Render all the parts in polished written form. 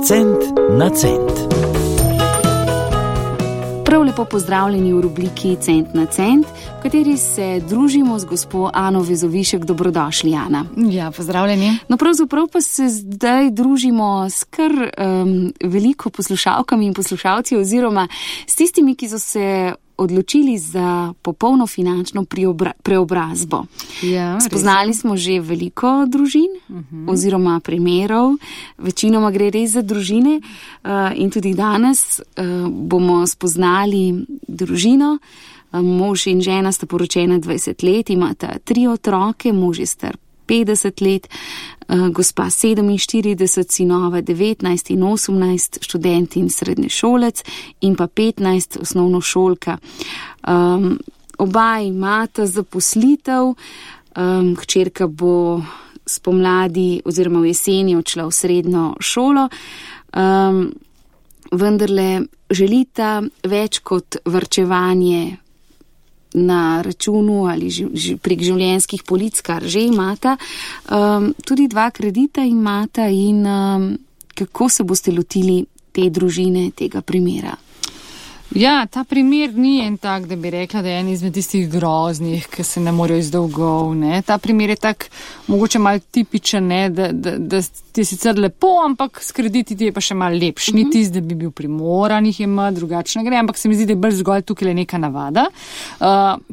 Cent na cent. Prav lepo pozdravljeni v rubriki Cent na cent, v kateri se družimo z gospo Ano Vezovišek. Dobrodošli, Ana. Ja, pozdravljeni. No, pravzaprav pa se zdaj družimo s kar veliko poslušalkami in poslušalci oziroma s tistimi, ki so se odločili za popolno finančno preobrazbo. Ja, spoznali smo že veliko družin oziroma primerov, večinoma gre res za družine in tudi danes bomo spoznali družino. Mož in žena sta poročena 20 let, imata 3 otroke, mož je star 50 let, gospa 47, sinova 19 in 18, študent in srednješolec in pa 15, osnovnošolka. Oba imata zaposlitev, hčerka bo spomladi oziroma v jeseni odšla v srednjo šolo, vendarle želita več kot varčevanje na računu ali prek življenjskih polic, kar že imata. Tudi 2 kredita imata in kako se boste lotili te družine, tega primera? Ja, ta primer ni en tak, da bi rekla, da je en izmed tistih groznih, ki se ne morejo iz dolgov, ne. Ta primer je tak, mogoče malo tipičen, ne, da ti je sicer lepo, ampak s krediti ti je pa še malo lepš. Ni tist, da bi bil primoran jih imati, drugačne gre, ampak se mi zdi, da je bolj zgolj tukaj le neka navada.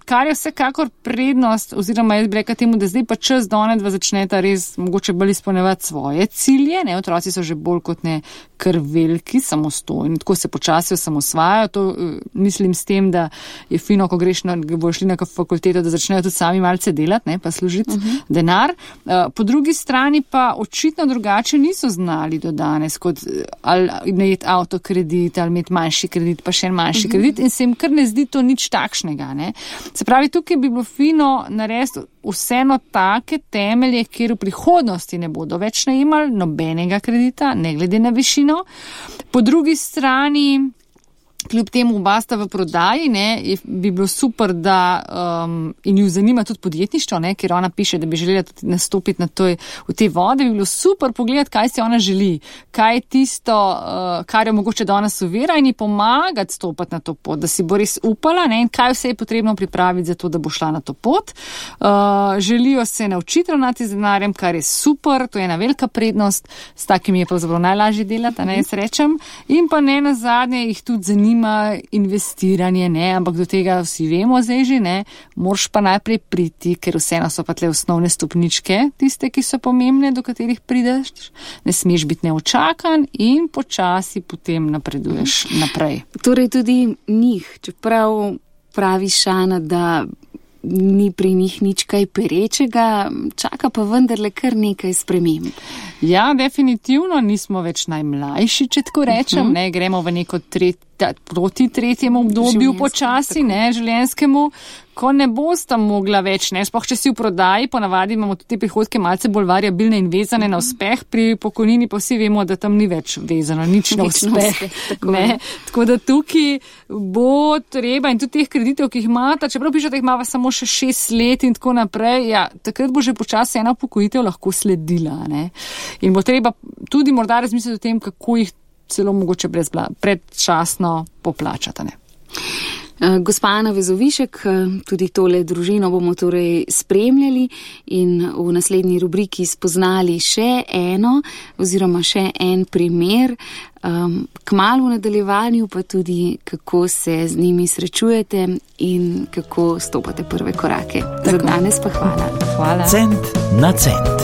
Kar je vsekakor prednost, oziroma jaz bi rekla temu, da zdaj pa čas, da onedva začneta res mogoče bolj izpolnjevati svoje cilje, ne, otroci so že bolj kot ne kar veliki, samostojni, tako se počasi osamosvajajo. To mislim s tem, da je fino, ko boš šli na fakulteto, da začnejo tudi sami malce delati, ne, pa služiti denar. Po drugi strani pa očitno drugače niso znali do danes, kot ali imeti avtokredit, ali imeti manjši kredit, pa še en manjši kredit in se jim kar ne zdi to nič takšnega, ne. Se pravi, tukaj bi bilo fino narediti vseeno take temelje, kjer v prihodnosti ne bodo več najemali nobenega kredita, ne glede na višino. Po drugi strani, kljub temu oba sta v prodaji, ne, bi bilo super, da in ju zanima tudi podjetništvo, ne, ker ona piše, da bi želela tudi nastopiti v te vode, bi bilo super pogledati, kaj si ona želi, kaj je tisto, kar je mogoče danes ovira in ji pomagati stopati na to pot, da si bo res upala, ne, in kaj vse je potrebno pripraviti za to, da bo šla na to pot. Želijo se naučiti ravnati z denarjem, kar je super, to je ena velika prednost, s takimi je pravzaprav najlažje delati, ne, jaz rečem, in pa ne nazadnje jih tudi zanima investiranje, ne, ampak do tega vsi vemo zdaj že, ne, moraš pa najprej priti, ker vseeno so pa tle osnovne stopničke, tiste, ki so pomembne, do katerih prideš, ne smeš biti neočakan in počasi potem napreduješ naprej. Torej tudi njih, čeprav praviš, Ana, da ni pri njih nič kaj perečega, čaka pa vendarle kar nekaj sprememb. Ja, definitivno nismo več najmlajši, če tako rečem, ne, gremo v neko proti tretjemu obdobju počasi, ne, življenjskemu, ko ne bosta mogla več, ne, sploh če si v prodaji, ponavadi imamo tudi te prihodke malce bolj variabilne in vezane na uspeh, pri pokojnini pa vsi vemo, da tam ni več vezano, nič na uspeh, ne, tako da tukaj bo treba in tudi teh kreditov, ki jih imata, čeprav piše, da jih imava samo še 6 let in tako naprej, ja, takrat bo že počasi ena upokojitev lahko sledila, ne, in bo treba tudi morda razmisliti o tem, kako jih celo mogoče predčasno poplačati, ne. Gospa Ana Vezovišek, tudi tole družino bomo torej spremljali in v naslednji rubriki spoznali še eno oziroma še en primer, kmalu v nadaljevanju pa tudi, kako se z njimi srečujete in kako stopate prve korake. Za danes pa hvala. Cent na cent.